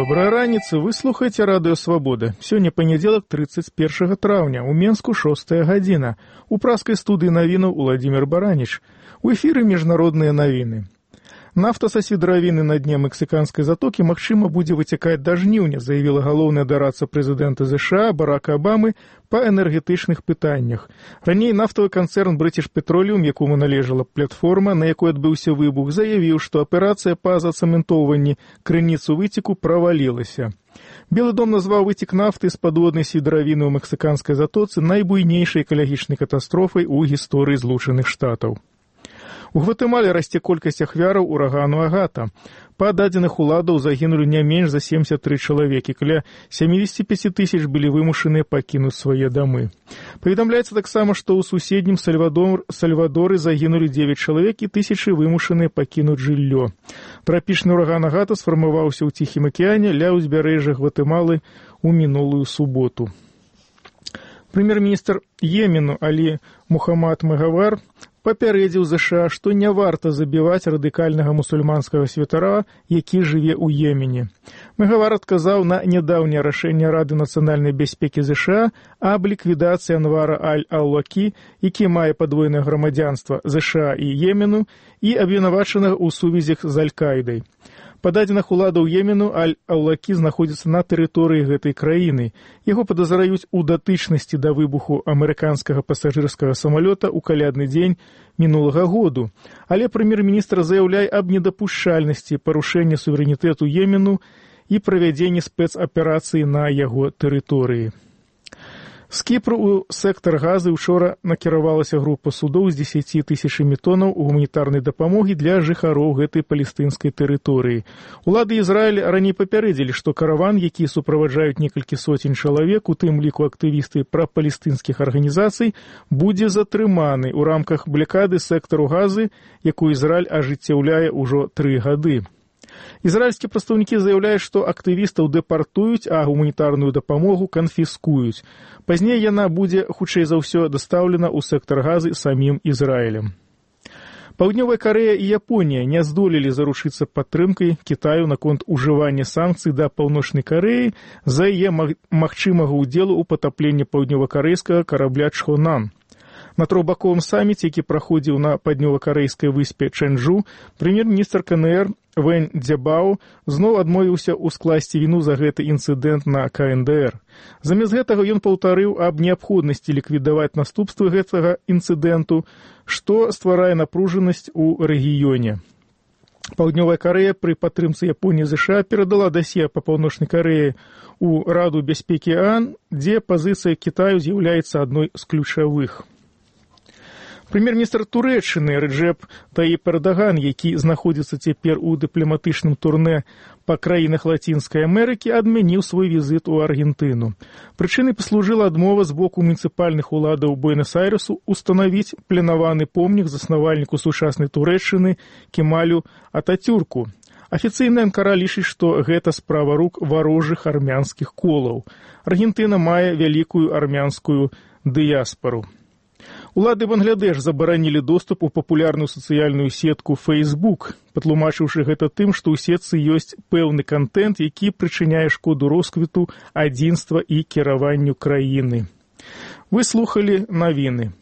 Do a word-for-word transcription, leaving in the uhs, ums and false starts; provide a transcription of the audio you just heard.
Добрай раніцы, вы слухаеце радыё Свабода. Сёння панядзелак трыццаць першага траўня, у Менску шостая гадзіна. У праскай студыі навінаў Уладзімір Бараніч. У эфіры міжнародныя навіны. Нафта са свідравіны на дне мексіканскай затокі магчыма будзе выцякаць да жніўня, заявіла галоўная дарадца прэзідэнта ЗША Барака Абамы па энергетычных пытаннях. Раней нафтавы канцэрн British Petroleum, якому належала платформа, на якой адбыўся выбух, заявіў, што аперацыя па зацэментоўванні крыніцу выцеку правалілася. Белы дом назваў выцек нафты з падводнай свідравіны ў мексіканскай затоцы найбуйнейшай экалагічнай катастрофай у гісторыі Злучаных Штатаў. У Гватэмале расце колькасць ахвяраў урагану Агата. Па дадзеных уладаў загінулі не менш за семьдесят три чалавекі, каля семьдесят пять тысяч былі вымушаныя пакінуць свае дамы. Паведамляецца таксама, што ў суседнім Сальвадор, Сальвадоры загінулі девять чалавек і тысячы вымушаныя пакінуць жыллё. Трапічны ураган Агата сфармаваўся ў Ціхім акіяне ля ўзбярэжжа Гватэмалы ў мінулую суботу. Прэм'ер-міністр Йемену Алі Мухаммад Мегавар папярэдзіў ЗША, што не варта забіваць радыкальнага мусульманскага святара, які жыве ў Йемене. Мегавар адказаў на нядаўняе рашэнне Рады нацыянальнай бяспекі ЗША аб ліквідацыі Анвара Аль-Аўлакі, які мае падвойнае грамадзянства ЗША і Йемену, і абвінавачанага ў сувязях з Аль-Кайдай. Па дадзеных уладаў Йемену Аль-Аўлакі знаходзіцца на тэрыторыі гэтай краіны. Яго падазраюць у датычнасці да выбуху амерыканскага пасажырскага самалёта ў калядны дзень мінулага году. Але прэм'ер-міністр заяўляе аб недапушчальнасці парушэння суверэнітэту Йемену і правядзенні спецаперацыі на яго тэрыторыі. З Кіпру ў сектар газы учора накіравалася група судоў з дзесяці тысячамі тонаў гуманітарнай дапамогі для жыхароў гэтай палестынскай тэрыторыі. Улады Ізраіля раней папярэдзілі, што караван, які суправаджаюць некалькі соцень чалавек, у тым ліку актывісты прапалестынскіх арганізацый, будзе затрыманы ў рамках блакады сектару газы, якую Ізраіль ажыццяўляе ўжо тры гады. Ізраільскія прадстаўнікі заяўляюць, што актывістаў дэпартуюць, а гуманітарную дапамогу канфіскуюць. Пазней яна будзе, хутчэй за ўсё, дастаўлена ў сектар газы самім Ізраілем. Паўднёвая Карэя і Японія не здолелі заручыцца падтрымкай Кітаю наконт ужывання санкцый да Паўночнай Карэі за яе магчымага ўдзелу ў патапленні паўднёва-карэйскага карабля Чхонан. На трохбаковым саміце, які праходзіў на паўднёва-карэйскай выспе Чэнджу, прэм'ер-міністр КНР Вэнь Дзябао зноў адмовіўся ўскласці віну за гэты інцыдэнт на КНДР. Замест гэтага ён паўтарыў аб неабходнасці ліквідаваць наступствы гэтага інцыдэнту, што стварае напружанасць у рэгіёне. Паўднёвая Карэя пры падтрымцы Японіі ЗША перадала дасье па Паўночнай Карэі ў Раду бяспекі ААН, дзе пазіцыя Кітаю з'яўляецца адной з ключавых. Прэм'ер-міністр Турэччыны Рэджэп Таіп Эрдаган, які знаходзіцца цяпер у дыпламатычным турнэ па краінах Лацінскай Амерыкі, адмяніў свой візіт у Аргентыну. Прычынай паслужыла адмова з боку муніцыпальных уладаў Буэнас-Айрэсу устанавіць планаваны помнік заснавальніку сучаснай Турэччыны Кемалю Атацюрку. Афіцыйная Анкара лічыць, што гэта справа рук варожых армянскіх колаў. Аргентына мае вялікую армянскую дыяспару. Улады Бангладеш забаранілі доступ у папулярную сацыяльную сетку Facebook, патлумачыўшы гэта тым, што ў сетцы ёсць пэўны кантэнт, які прычыняе шкоду росквіту, адзінства і кіраванню краіны. Вы слухалі навіны.